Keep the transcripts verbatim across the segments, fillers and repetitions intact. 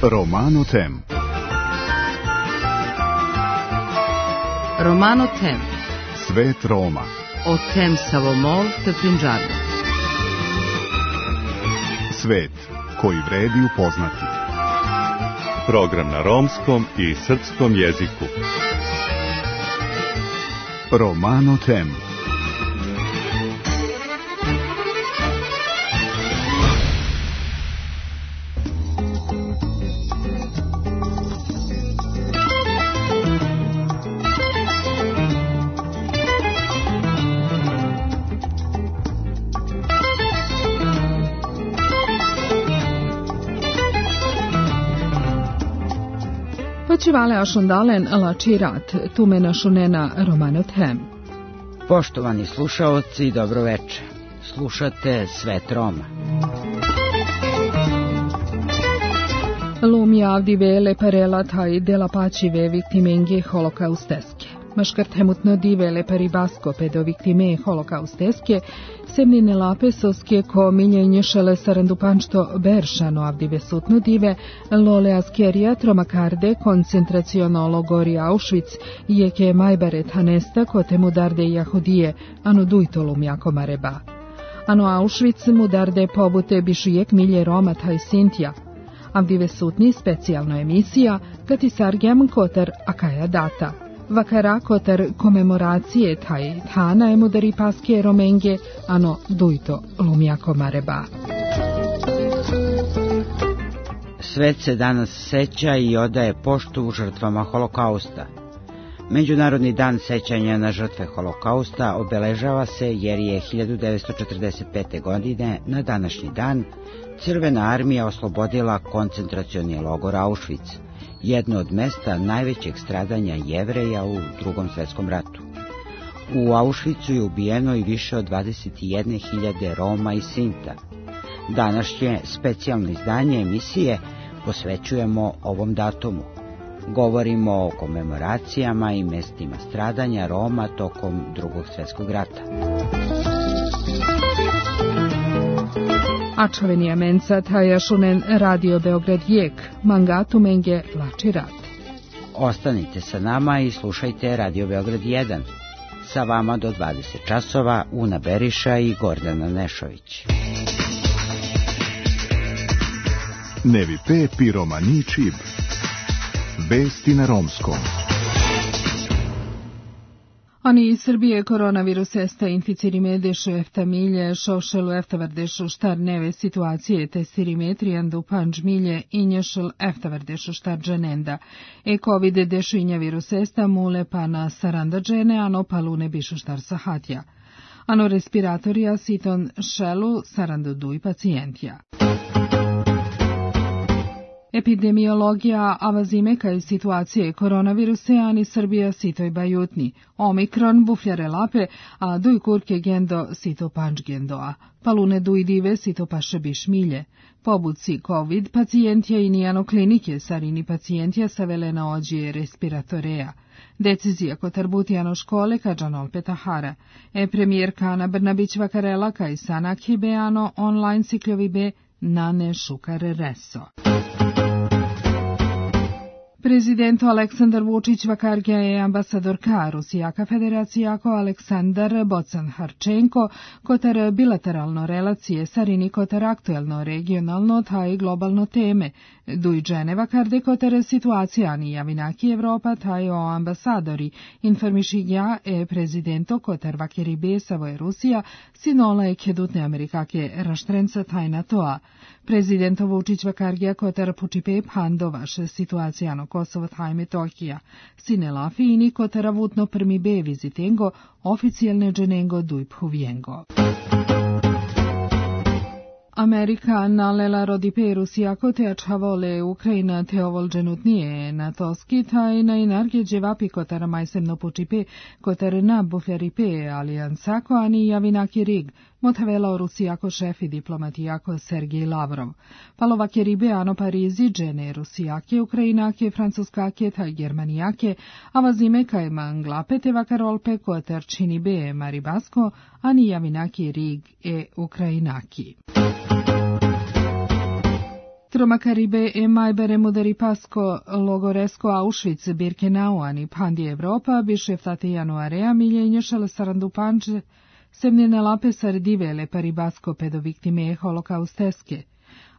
Romano Tem. Romano Tem. Svet Roma. O Tem Savomol te Prinđavi. Svet koji vredi upoznati. Program na romskom i srpskom jeziku. Romano Tem. Počivale ašondalen lačirat, tume našunena Romano Tem. Poštovani slušaoci, dobro večer. Slušate Svet Roma. Lumi avdive parela taj dela pačive viktime holokausteske. Maškartemutno divele paribasko pedo viktime holokausteske, semnine lapesoske ko miljenje šele sarandupanšto beršano avdive sutno dive, lole askerija tromakarde koncentraciono logori Auschwitz, jeke majbaret hanesta kote mudarde jahudije, ano dujtolum jako mareba. Ano Auschwitz mudarde pobute bišujek milje Roma taj Sintja. Avdive sutni specijalno emisija, kati sargjam kotar akaja data. Vakara kotar komemoracije taj thana emudari paske romenge, ano dujto lumjako mareba. Svet se danas seća i odaje poštu žrtvama holokausta. Međunarodni dan sećanja na žrtve holokausta obeležava se jer je hiljadu devetsto četrdeset pete. godine na današnji dan Crvena armija oslobodila koncentracioni logor Auschwitz, jedno od mesta najvećeg stradanja Jevreja u Drugom svetskom ratu. U Auschwitzu je ubijeno i više od dvadeset jedne hiljade Roma i Sinta. Današnje specijalno izdanje emisije posvećujemo ovom datumu. Govorimo o komemoracijama i mestima stradanja Roma tokom Drugog svjetskog rata. Ačavenija menca taja šunen Radio Beograd jek, mangatu menge lačirat. Ostanite sa nama i slušajte Radio Beograd jedan. Sa vama do dvadeset časova Una Beriša i Gordana Nešović. Nevi pe piromani čib. Vesti na romskom. Ani iz Srbije koronavirus esta inficirime dešu efta milje, šošelu eftavardešu štar neve situacije testirimetrijan du panđ milje i nješel eftavardešu štar dženenda. E COVID dešu inja virus esta mule pa na saranda džene, ano palune bišu štar sahatja. Ano respiratorija siton šelu saranda duj pacijentja. Epidemiologija avazime kaj situacije koronaviruse, ani Srbija sitoj bajutni. Omikron bufljare lape, a duj kurke gendo sito panč gendoa. Palune duj dive sito paše biš milje. Pobuci COVID pacijentja i nijano klinike sarini pacijentja savelena ođije respiratoreja. Decizija kotarbutijano škole kađanol petahara. E premijerka Ana Brnabić vakarela kaj sanak hibeano online sikljovi be nane šukar reso. Prezident Aleksandar Vučić vakargja je ambasadorka Rusijaka federacija ko Aleksandar Bocan Harčenko, kotar bilateralno relacije sarini kotar aktuelno regionalno taj globalno teme. Duj džene vakarde kotar situacija ni javinaki Evropa taj o ambasadori, informišigja e prezidento kotar vakeri besavo je Rusija, sinola je kedutne Amerikake raštrenca taj na toa. Prezidento Vučić vakargja kotar pučipe pandovaš situacijano Kosovo taj Metohija. Sine lafini kotara vutno prmi be vizitengo, oficijalne dženengo duj phuvijengo. Amerika nalela rodipe Rusija kote ačhavole Ukrajina teovol dženutnije na toski taj na inarge dževapi kotara majsemno pučipe kotar na bufljaripe alijansako ani javinaki rig, motavela Rusijako šefi diplomatijako Sergej Lavrov. Palovake ribe ano Parizi džene Rusijake, Ukrajinake, Francuskake taj Germanijake, a vazime kaj manglapete vakarolpe kotar čini be Maribasko, ani javinaki rig e Ukrajinaki. Tromakaribe e majbere mudari pasko logoresko Auschwitz Birkenau ani pandi Evropa bišeftate januarea miljenje sarandu panče semnjene lape sardivele paribasko pedo viktime holokausteske.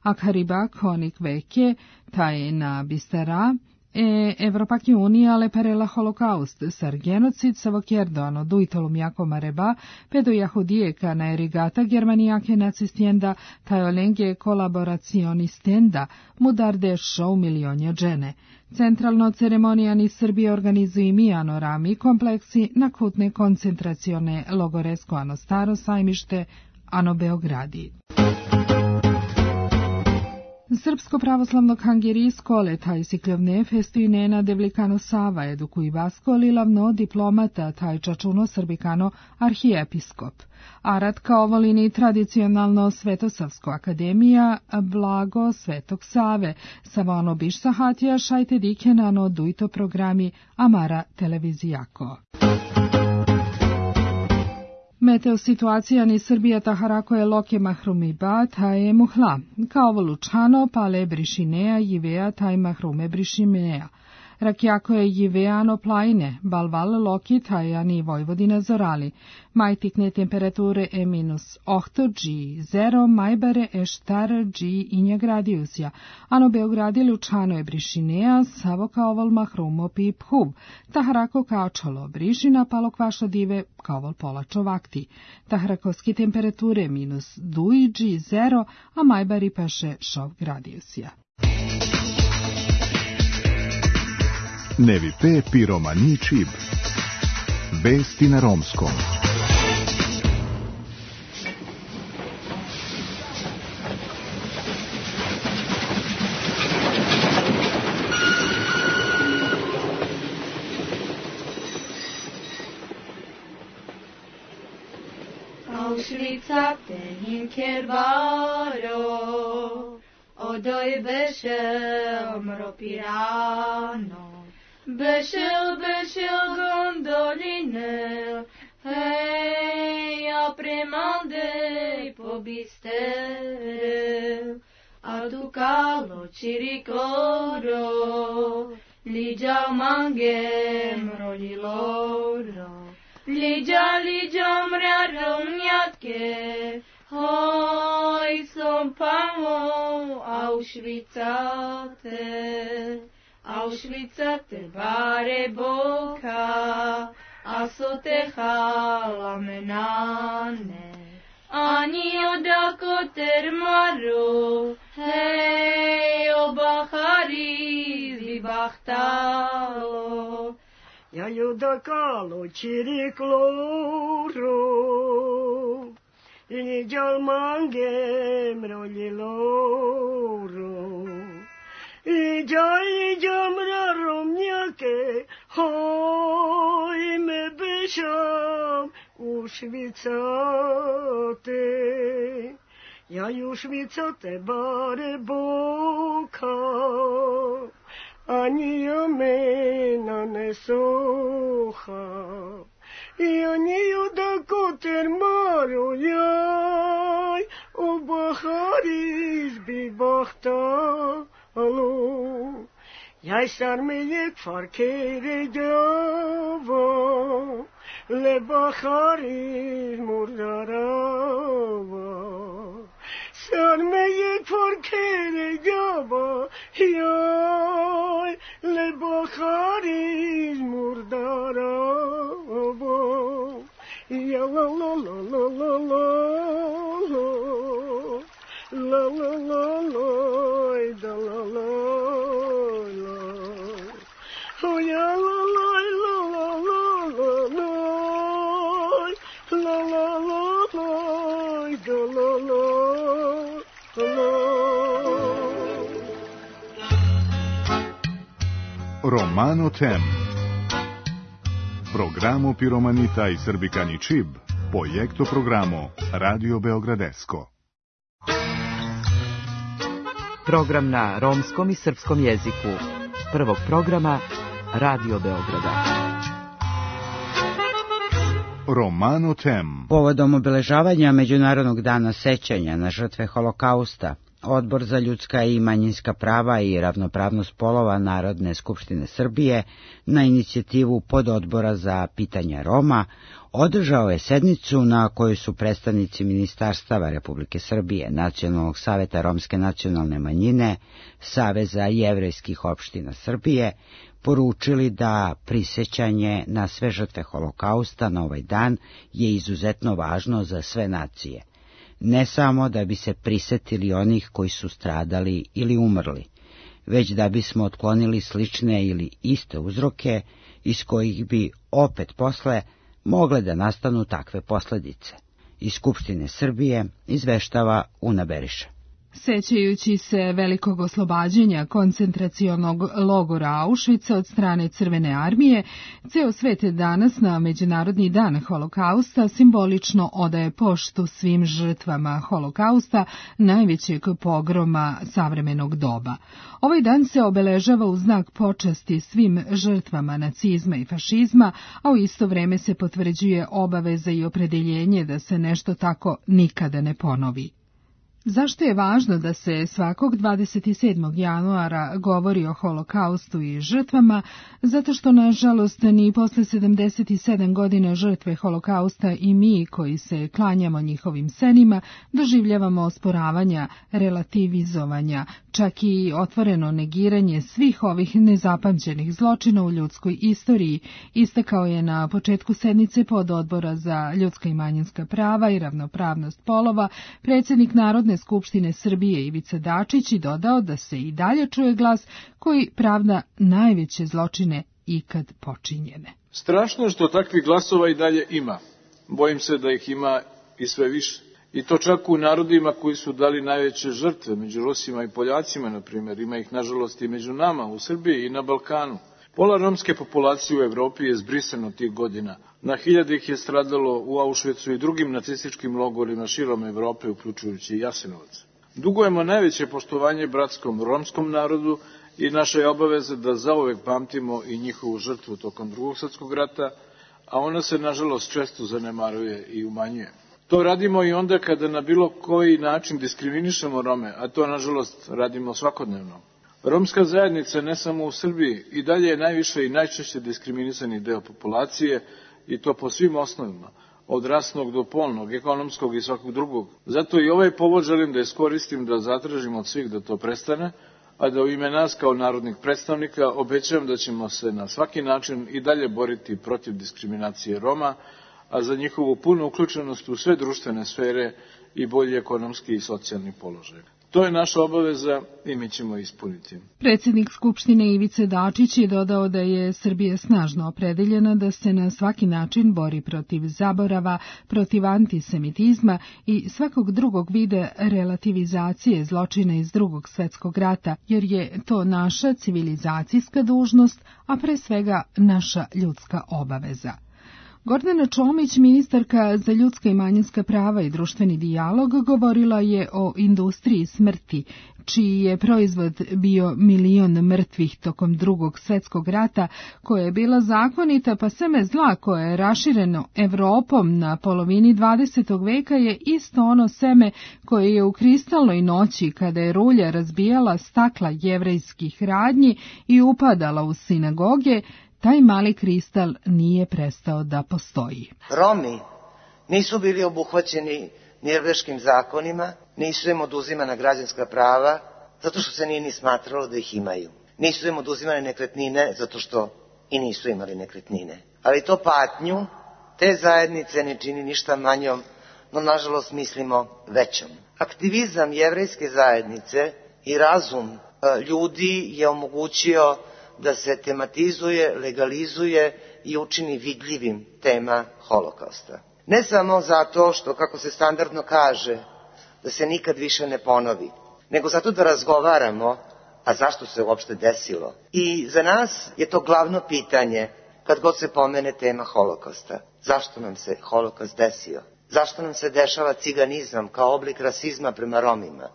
Akhariba konik veke taj na bistera e Evropaki unija le parela holokaust sar genocid savokjerdoano duitolum jako mareba pedo jahudijeka na erigata germanijake nacistienda tajolenge kolaboracionistenda mudarde show milionja džene. Centralno ceremonijani Srbije organizuju mijano rami kompleksi na kutne koncentracione logoresko ano staro sajmište ano Beogradi. Srpsko pravoslavno kangerijsko letaj sikljovne festinena devlikano Sava edukuj vasko lilavno diplomata taj čačuno srbikano arhijepiskop. Arat kao volini tradicionalno Svetosavsko akademija blago Svetog Save, savano biš sahatija šajte dikenano dujto programi Amara televizijako. Meteo situacija ni Srbija taharako je loke mahrumi ba taje muhla, kao volučano pale brišinea jivea taj mahrume brišimea. Rakjako je jiveano plajne, balval loki tajani Vojvodina zorali. Majtikne temperature e minus ohto G, zero majbare e štar G inja gradiusja, ano Beogradi lučano je brišinea, savo kao vol mahrumo pi phub, taharako kao čolo brišina, palo kvašo dive kao vol polačo vakti. Taharakovski temperature minus duj G, zero, a majbari paše šov gradiusja. Nevi P. Piromani Čib. Vesti na romskom. Auschwitza tehin kerbaro, odoj bešel mropirano. Bešel, bešel gondoline, hej, a premandej pobistere, a tu kalo čirikloro, liđa mangem rodiloro, liđa, liđa mrarom njatke, hoj, som pamo Auschwitzate. Auschwitza te bare boka, a so te halamenane. Ani odako termaro, hej, o bahari zibahtalo. Ja judakalo čirikloro, liđal mangem roljiloro. Liđa, liđa mrarom njake, hoj me bešam u švicate. Ja ju švicate bare boka, ani ja mena ne soha. Ja niju da koter maru jaj, o bahari izbi bahta. Alo, jaj sar me je kfar kere java, le bahari murdarava. Sar me je kfar kere java, jaj, le bahari murdarava. Ja la la la la la la la la la la da la la la oh ya la la la la la la la la la la da la la la. Romano Tem. Programo Piromanita i Srbikani Čib. Projekto programo Radio Beogradesko. Program na romskom i srpskom jeziku. Prvog programa Radio Beograda. Romano Tem. Povodom obeležavanja Međunarodnog dana sećanja na žrtve holokausta, Odbor za ljudska i manjinska prava i ravnopravnost polova Narodne skupštine Srbije na inicijativu pododbora za pitanja Roma održao je sednicu na kojoj su predstavnici ministarstava Republike Srbije, Nacionalnog saveta romske nacionalne manjine, Saveza jevrejskih opština Srbije, poručili da prisećanje na sve žrtve Holokausta na ovaj dan je izuzetno važno za sve nacije. Ne samo da bi se prisetili onih koji su stradali ili umrli, već da bismo otklonili slične ili iste uzroke iz kojih bi opet posle mogle da nastanu takve posledice. Iz Skupštine Srbije izveštava Una Beriša. Sećajući se velikog oslobađanja koncentracionog logora Auschwitza od strane Crvene armije, ceo svet danas na Međunarodni dan Holokausta simbolično odaje poštu svim žrtvama Holokausta, najvećeg pogroma savremenog doba. Ovaj dan se obeležava u znak počasti svim žrtvama nacizma i fašizma, a u isto vreme se potvrđuje obaveza i opredeljenje da se nešto tako nikada ne ponovi. Zašto je važno da se svakog dvadeset sedmog januara govori o Holokaustu i žrtvama? Zato što, nažalost, ni posle sedamdeset sedam godina žrtve Holokausta i mi, koji se klanjamo njihovim senima, doživljavamo osporavanja, relativizovanja, čak i otvoreno negiranje svih ovih nezapamćenih zločina u ljudskoj istoriji, istakao je na početku sednice pododbora za ljudska i manjinska prava i ravnopravnost polova predsjednik Narodne skupštine Srbije Ivica Dačić i dodao da se i dalje čuje glas koji pravda najveće zločine ikad počinjene. Strašno je što takvih glasova i dalje ima. Bojim se da ih ima i sve više. I to čak u narodima koji su dali najveće žrtve, među Rusima i Poljacima, na primjer. Ima ih, nažalost, i među nama, u Srbiji i na Balkanu. Pola romske populacije u Evropi je zbrisano tih godina. Na hiljade ih je stradalo u Auschwitzu i drugim nacističkim logorima širom Evrope, uključujući i Jasenovac. Dugujemo najveće poštovanje bratskom romskom narodu i naša je obaveza da zauvek pamtimo i njihovu žrtvu tokom Drugog svjetskog rata, a ona se, nažalost, često zanemaruje i umanjuje. To radimo i onda kada na bilo koji način diskriminišemo Rome, a to, nažalost, radimo svakodnevno. Romska zajednica, ne samo u Srbiji, i dalje je najviše i najčešće diskriminisani deo populacije, i to po svim osnovima, od rasnog do polnog, ekonomskog i svakog drugog. Zato i ovaj povod želim da iskoristim da zatražim od svih da to prestane, a da u ime nas kao narodnih predstavnika obećavam da ćemo se na svaki način i dalje boriti protiv diskriminacije Roma, a za njihovu punu uključenost u sve društvene sfere i bolji ekonomski i socijalni položaj. To je naša obaveza i mi ćemo ispuniti. Predsjednik Skupštine Ivice Dačić je dodao da je Srbija snažno opredeljena da se na svaki način bori protiv zaborava, protiv antisemitizma i svakog drugog vida relativizacije zločina iz Drugog svjetskog rata, jer je to naša civilizacijska dužnost, a pre svega naša ljudska obaveza. Gordana Čomić, ministarka za ljudska i manjinska prava i društveni dijalog, govorila je o industriji smrti, čiji je proizvod bio milion mrtvih tokom Drugog svjetskog rata, koja je bila zakonita, pa seme zla koje je rašireno Evropom na polovini dvadesetog veka je isto ono seme koje je u kristalnoj noći, kada je rulja razbijala stakla jevrejskih radnji i upadala u sinagoge, taj mali kristal nije prestao da postoji. Romi nisu bili obuhvaćeni nirnberškim zakonima, nisu im oduzimana građanska prava, zato što se nije ni smatralo da ih imaju. Nisu im oduzimane nekretnine, zato što i nisu imali nekretnine. Ali to patnju te zajednice ne čini ništa manjom, no nažalost mislimo većom. Aktivizam jevrejske zajednice i razum ljudi je omogućio da se tematizuje, legalizuje i učini vidljivim tema Holokausta. Ne samo zato što, kako se standardno kaže, da se nikad više ne ponovi, nego zato da razgovaramo, a zašto se uopšte desilo. I za nas je to glavno pitanje kad god se pomene tema Holokausta. Zašto nam se Holokaust desio? Zašto nam se dešava ciganizam kao oblik rasizma prema Romima?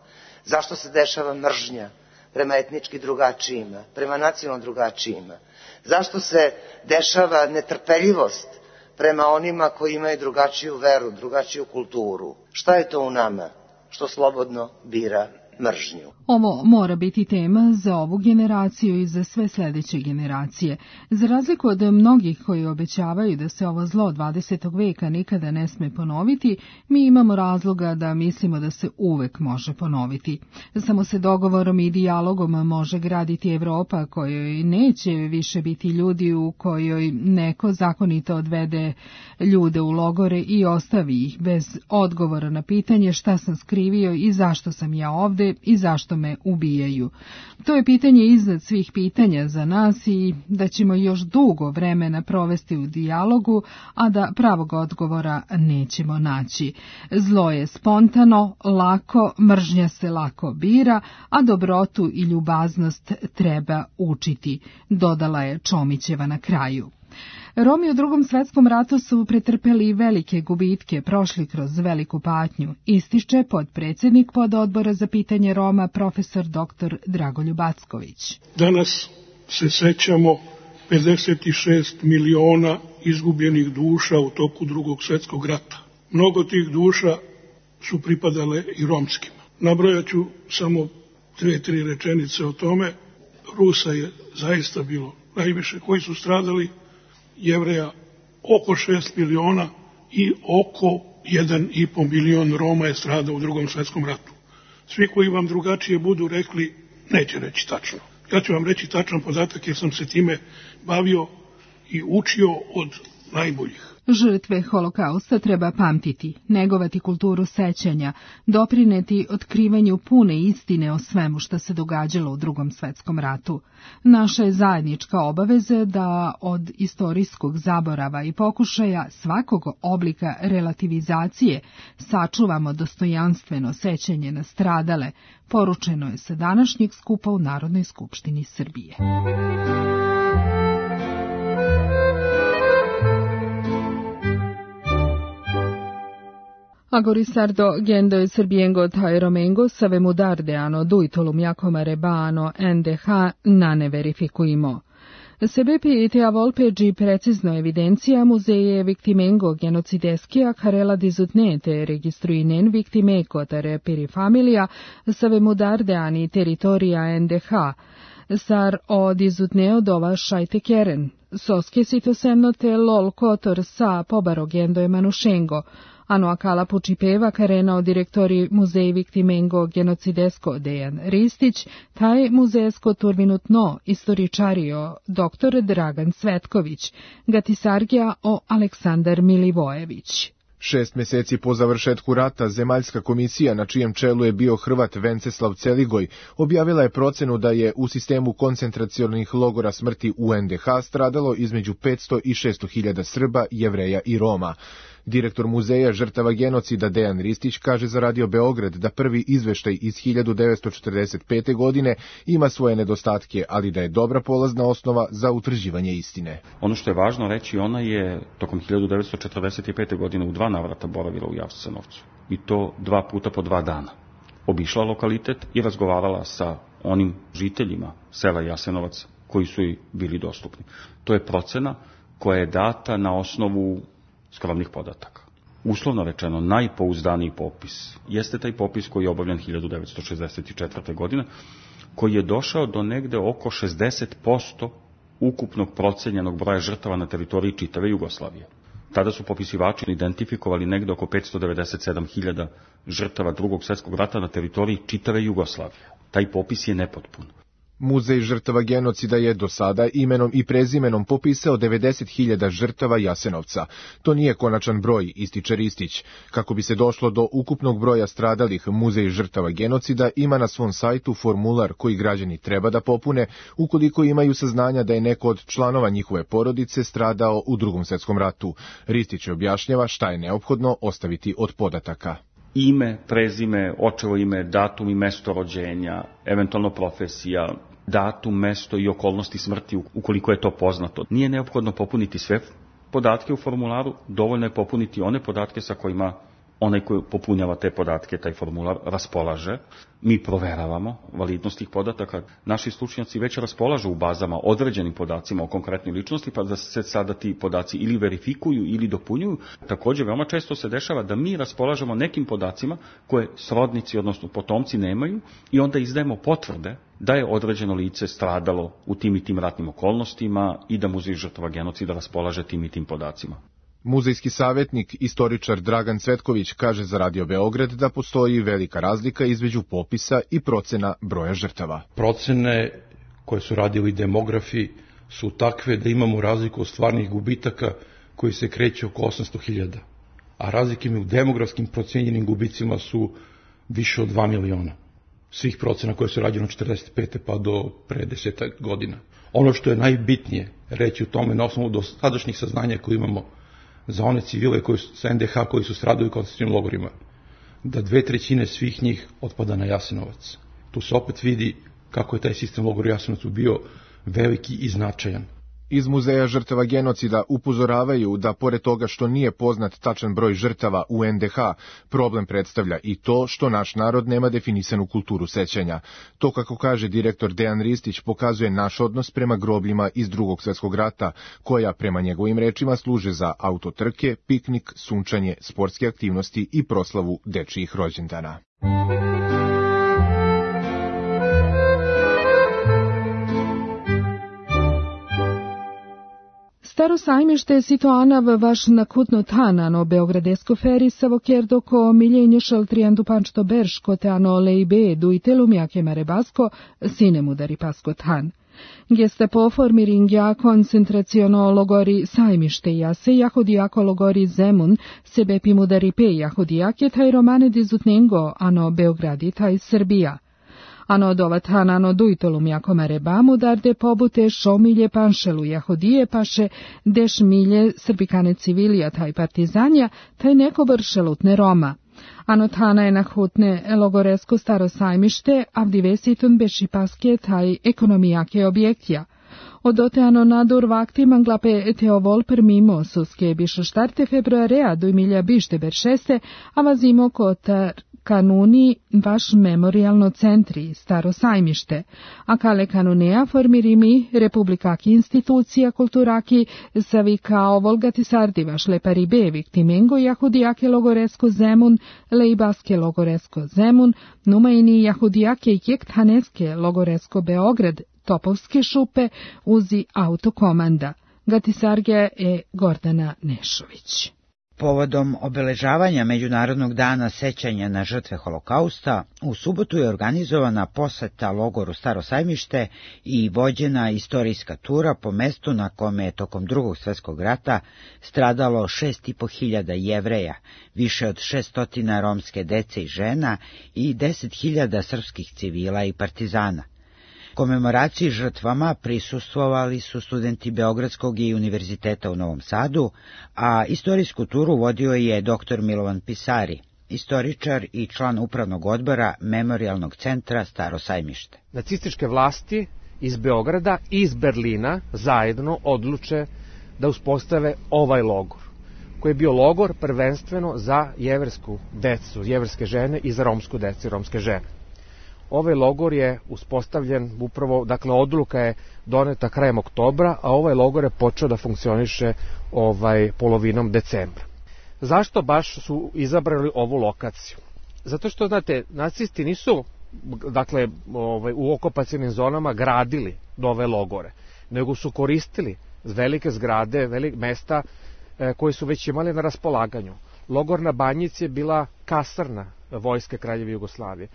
Zašto se dešava mržnja prema etnički drugačijima, prema nacionalno drugačijima? Zašto se dešava netrpeljivost prema onima koji imaju drugačiju veru, drugačiju kulturu? Šta je to u nama što slobodno bira mržnju. Ovo mora biti tema za ovu generaciju i za sve sljedeće generacije. Za razliku od mnogih koji obećavaju da se ovo zlo dvadesetog veka nikada ne sme ponoviti, mi imamo razloga da mislimo da se uvek može ponoviti. Samo se dogovorom i dijalogom može graditi Evropa kojoj neće više biti ljudi, u kojoj neko zakonito odvede ljude u logore i ostavi ih bez odgovora na pitanje šta sam skrivio i zašto sam ja ovde i zašto me ubijaju. To je pitanje iznad svih pitanja za nas i da ćemo još dugo vremena provesti u dijalogu, a da pravog odgovora nećemo naći. Zlo je spontano, lako, mržnja se lako bira, a dobrotu i ljubaznost treba učiti, dodala je Čomićeva na kraju. Romi u Drugom svetskom ratu su pretrpeli velike gubitke, prošli kroz veliku patnju, ističe podpredsjednik pododbora za pitanje Roma profesor doktor Dragoljub Acković. Danas se sećamo pedeset šest miliona izgubljenih duša u toku Drugog svjetskog rata. Mnogo tih duša su pripadale i romskima. Nabrojaću samo dve, tri rečenice o tome. Rusa je zaista bilo najviše koji su stradali, Jevreja oko šest miliona i oko jedan i po milion Roma je stradao u Drugom svjetskom ratu. Svi koji vam drugačije budu rekli, neće reći tačno. Ja ću vam reći tačan podatak jer sam se time bavio i učio od najboljih. Žrtve holokausta treba pamtiti, negovati kulturu sećanja, doprineti otkrivanju pune istine o svemu što se događalo u Drugom svjetskom ratu. Naša je zajednička obaveza da od istorijskog zaborava i pokušaja svakog oblika relativizacije sačuvamo dostojanstveno sećanje na stradale, poručeno je sa današnjeg skupa u Narodnoj skupštini Srbije. Agorisardo gendo serbiengo tai romengo savemo dardeano duitolum jacomare bano N D H nane verificuimo. Sebepi te a volpegi precizno evidencija muzeje victimengo genocideskija carela dizutnete registruinen victimeco tare peri familia savemo dardeani territoria N D H. Sar o dizutneo dova šajte keren. Soske sitosemno te lol kotor sa pobarogendo e manušengo. Ano akala pučipeva karena o direktori muzej victimengo genocidesko Dejan Ristić, taj muzejesko turvinutno istoričario doktor Dragan Cvetković, gatisargija o Aleksandar Milivojević. Šest mjeseci po završetku rata, Zemaljska komisija, na čijem čelu je bio Hrvat Venceslav Celigoj, objavila je procenu da je u sistemu koncentracionih logora smrti u N D H stradalo između petsto i šesto hiljada Srba, Jevreja i Roma. Direktor muzeja žrtava genocida Dejan Ristić kaže za Radio Beograd da prvi izveštaj iz hiljadu devetsto četrdeset pete. godine ima svoje nedostatke, ali da je dobra polazna osnova za utvrđivanje istine. Ono što je važno reći, ona je tokom hiljadu devetsto četrdeset pete. godine u dva navrata boravila u Jasenovcu. I to dva puta po dva dana. Obišla lokalitet i razgovarala sa onim žiteljima sela Jasenovac koji su joj bili dostupni. To je procena koja je data na osnovu skromnih podataka. Uslovno rečeno, najpouzdaniji popis jeste taj popis koji je obavljen hiljadu devetsto šezdeset četvrte. godine, koji je došao do negde oko šezdeset posto ukupnog procenjenog broja žrtava na teritoriji čitave Jugoslavije. Tada su popisivači identifikovali negde oko petsto devedeset sedam hiljada žrtava Drugog svjetskog rata na teritoriji čitave Jugoslavije. Taj popis je nepotpun. Muzej žrtava genocida je do sada imenom i prezimenom popisao devedeset hiljada žrtava Jasenovca. To nije konačan broj, ističe Ristić. Kako bi se došlo do ukupnog broja stradalih, Muzej žrtava genocida ima na svom sajtu formular koji građani treba da popune ukoliko imaju saznanja da je neko od članova njihove porodice stradao u Drugom svjetskom ratu. Ristić objašnjava šta je neophodno ostaviti od podataka. Ime, prezime, očevo ime, datum i mesto rođenja, eventualno profesija, datum, mesto i okolnosti smrti ukoliko je to poznato. Nije neophodno popuniti sve podatke u formularu, dovoljno je popuniti one podatke sa kojima onaj koji popunjava te podatke, taj formular, raspolaže. Mi proveravamo validnost tih podataka. Naši stručnjaci već raspolažu u bazama određenim podacima o konkretnoj ličnosti, pa da se sada ti podaci ili verifikuju ili dopunjuju. Također, veoma često se dešava da mi raspolažemo nekim podacima koje srodnici, odnosno potomci, nemaju i onda izdajemo potvrde da je određeno lice stradalo u tim i tim ratnim okolnostima i da Muzej žrtava genocida raspolaže tim i tim podacima. Muzejski savjetnik, istoričar Dragan Cvetković kaže za Radio Beograd da postoji velika razlika između popisa i procena broja žrtava. Procene koje su radili demografi su takve da imamo razliku od stvarnih gubitaka koji se kreće oko osamsto hiljada, a razlike u demografskim procenjenim gubicima su više od dva miliona. Svih procena koje su rađene od četrdeset pete pa do pre desetak godina. Ono što je najbitnije reći u tome na osnovu dosadašnjih saznanja koje imamo za one civile koji su, sa en de ha koji su stradali u koncentracionim logorima, da dve trećine svih njih otpada na Jasenovac. Tu se opet vidi kako je taj sistem logora Jasenovac bio veliki i značajan. Iz Muzeja žrtava genocida upozoravaju da pored toga što nije poznat tačan broj žrtava u en de ha, problem predstavlja i to što naš narod nema definisanu kulturu sećanja. To, kako kaže direktor Dejan Ristić, pokazuje naš odnos prema grobljima iz Drugog svjetskog rata, koja prema njegovim rečima služe za autotrke, piknik, sunčanje, sportske aktivnosti i proslavu dečijih rođendana. Staro sajmište je situaana v vaš nakutno tanano Beogradesko ferisavo, kjer doko miljenje šaltrijandu pančto berško teano leibedu i telumjake marebasko sinem udari pasko tan. Geste po formi ringja koncentraciono logori sajmište jase, jahodijako logori Zemun, sebe pimudari pe jahodijake, taj romane dizutnengo, ano Beogradi, taj Srbija. Ano dovatan ano dujtolum jako marebamu, darde pobute šomilje panšelu jahodije paše, deš milje srbikane civilija taj partizanja, taj neko vršelutne Roma. Ano tana je nahutne logoresko staro sajmište, avdivesitun beši paske taj ekonomijake objektja. Odote ano nadur vakti manglape teovol permimo suske bišo štarte februarea do milja bište beršeste, a vazimo kotar kanuni vaš memorialno centri, staro sajmište, a kale kanunea formirimi republikaki institucija kulturaki savi kao volgati sardi vaš lepari be viktimengo jahudijake logoresko Zemun, leibaske logoresko Zemun, numaini jahudijake jektaneske logoresko Beograd, Topovske šupe, uzi autokomanda. Gatisarge e Gordana Nešović. Povodom obeležavanja Međunarodnog dana sećanja na žrtve holokausta, u subotu je organizovana poseta logoru Staro sajmište i vođena istorijska tura po mestu na kome je tokom Drugog svjetskog rata stradalo šest i po hiljada Jevreja, više od šestotina romske dece i žena i deset hiljada srpskih civila i partizana. Komemoraciji žrtvama prisustvovali su studenti Beogradskog i Univerziteta u Novom Sadu, a istorijsku turu vodio je doktor Milovan Pisari, istoričar i član upravnog odbora Memorialnog centra Staro sajmište. Nacističke vlasti iz Beograda i iz Berlina zajedno odluče da uspostave ovaj logor, koji je bio logor prvenstveno za jeversku decu, jeverske žene i za romsku decu i romske žene. Ovaj logor je uspostavljen upravo, dakle odluka je doneta krajem oktobra, a ovaj logor je počeo da funkcioniše ovaj polovinom decembra. Zašto baš su izabrali ovu lokaciju? Zato što, znate, nacisti nisu, dakle, ovaj, u okupacionim zonama gradili nove logore, nego su koristili velike zgrade, velike mesta e, koje su već imali na raspolaganju. Logor na Banjici je bila kasarna vojske Kraljeve Jugoslavije.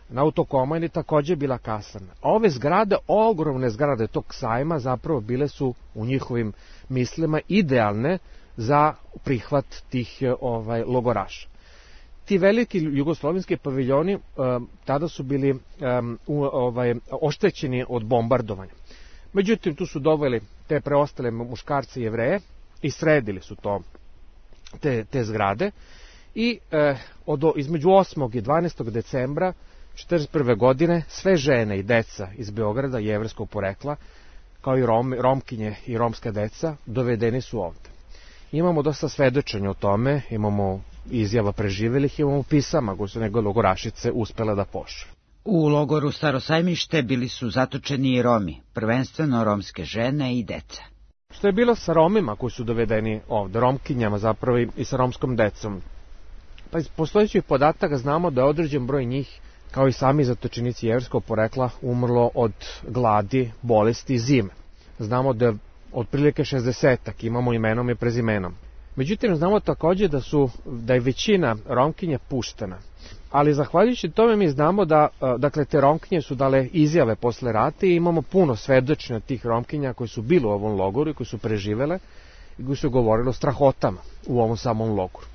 Na Autokomandi također bila kasarna. A ove zgrade, ogromne zgrade tog sajma, zapravo bile su u njihovim mislima idealne za prihvat tih ovaj, logoraša. Ti veliki jugoslovenski paviljoni um, tada su bili um, u, ovaj, oštećeni od bombardovanja. Međutim, tu su doveli te preostale muškarce i Jevreje i sredili su to, te, te zgrade. I eh, od, između osmog i dvanaestog decembra četrdeset prve godine sve žene i deca iz Beograda jevrejskog porekla, kao i Rom, Romkinje i romska deca, dovedeni su ovde. Imamo dosta svedočenja o tome, imamo izjava preživelih, imamo pisama koje su njegove logorašice uspele da pošle. U logoru Staro Sajmište bili su zatočeni i Romi, prvenstveno romske žene i deca. Što je bilo sa Romima koji su dovedeni ovde, Romkinjama zapravo i sa romskom decom? Pa iz postojećih podataka znamo da je određen broj njih, kao i sami zatočenici jevrskog porekla, umrlo od gladi, bolesti i zime. Znamo da je otprilike šezdesetak, imamo imenom i prezimenom. Međutim, znamo takođe da, su, da je većina Romkinja puštena. Ali zahvaljujući tome mi znamo da, dakle, te Romkinje su dale izjave posle rata i imamo puno svedočenja tih Romkinja koji su bili u ovom logoru i koji su preživele i koji su govorili o strahotama u ovom samom logoru.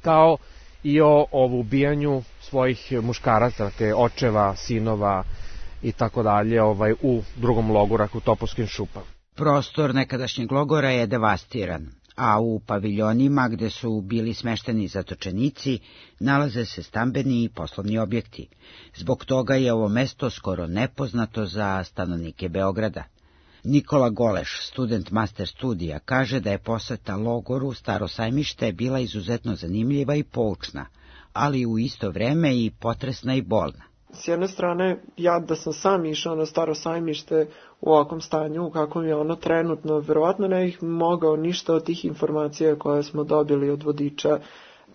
Kao i o, o ubijanju svojih muškaraca, dakle, očeva, sinova i tako dalje, ovaj, u drugom logoru, u Topolskim šupama. Prostor nekadašnjeg logora je devastiran, a u paviljonima gde su bili smešteni zatočenici nalaze se stambeni i poslovni objekti. Zbog toga je ovo mesto skoro nepoznato za stanovnike Beograda. Nikola Goleš, student master studija, kaže da je poseta logoru Staro Sajmište bila izuzetno zanimljiva i poučna, ali u isto vreme i potresna i bolna. S jedne strane, ja da sam sam išao na Staro Sajmište u ovakvom stanju, u kakvom je ono trenutno, verovatno ne bih mogao ništa od tih informacija koje smo dobili od vodiča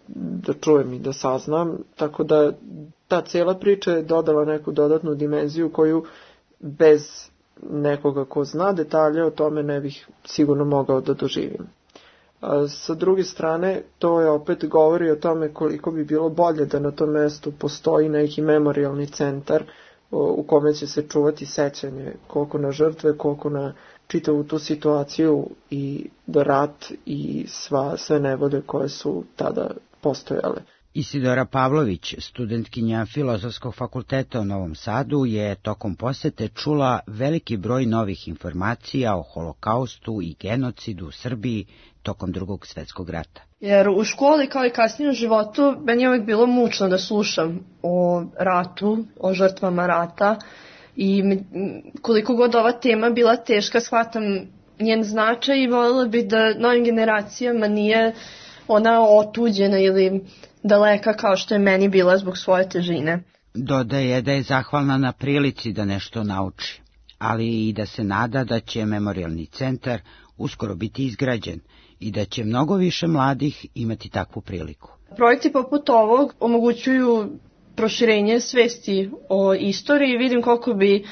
da čujem i da saznam, tako da ta cijela priča je dodala neku dodatnu dimenziju koju bez nekoga ko zna detalje o tome ne bih sigurno mogao da doživim. A sa druge strane, to je opet govori o tome koliko bi bilo bolje da na tom mestu postoji neki memorijalni centar u kome će se čuvati sećanje koliko na žrtve, koliko na čitavu tu situaciju i da rat i sva, sve nevolje koje su tada postojale. Isidora Pavlović, studentkinja Filozofskog fakulteta u Novom Sadu, je tokom posete čula veliki broj novih informacija o holokaustu i genocidu u Srbiji tokom Drugog svetskog rata. Jer u školi kao i kasnije u životu meni je uvijek bilo mučno da slušam o ratu, o žrtvama rata i koliko god ova tema bila teška, shvatam njen značaj i voljela bih da novim generacijama nije ona otuđena ili daleka kao što je meni bila zbog svoje težine. Dodaje da je zahvalna na prilici da nešto nauči, ali i da se nada da će memorijalni centar uskoro biti izgrađen i da će mnogo više mladih imati takvu priliku. Projekti poput ovog omogućuju proširenje svesti o istoriji. Vidim koliko bi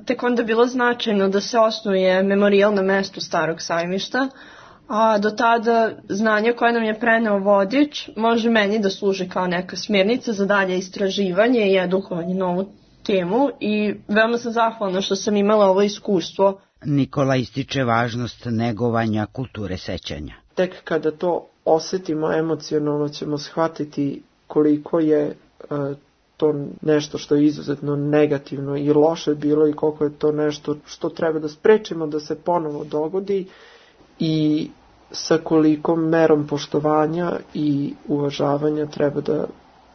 tek onda bilo značajno da se osnuje memorijal na mestu Starog Sajmišta, a do tada znanje koje nam je preneo vodič može meni da služi kao neka smjernica za dalje istraživanje i edukovanje na ovu temu i veoma sam zahvalna što sam imala ovo iskustvo. Nikola ističe važnost negovanja kulture sećanja. Tek kada to osetimo emocionalno ćemo shvatiti koliko je uh, to nešto što je izuzetno negativno i loše bilo i koliko je to nešto što treba da sprečimo da se ponovo dogodi i sa kolikom merom poštovanja i uvažavanja treba da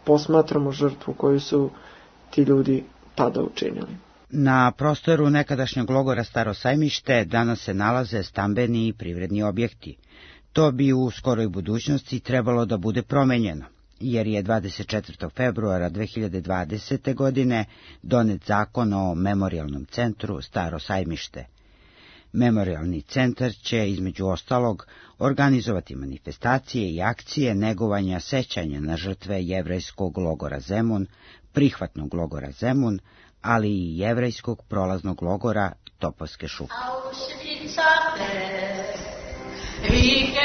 posmatramo žrtvu koju su ti ljudi tada učinili. Na prostoru nekadašnjeg logora Staro Sajmište danas se nalaze stambeni i privredni objekti. To bi u skoroj budućnosti trebalo da bude promenjeno, jer je dvadeset četvrtog februara dve hiljade dvadesete. godine donet zakon o memorijalnom centru Staro Sajmište. Memorijalni centar će, između ostalog, organizovati manifestacije i akcije negovanja sećanja na žrtve jevrejskog logora Zemun, prihvatnog logora Zemun, ali i jevrejskog prolaznog logora Topolske šupe. Rigia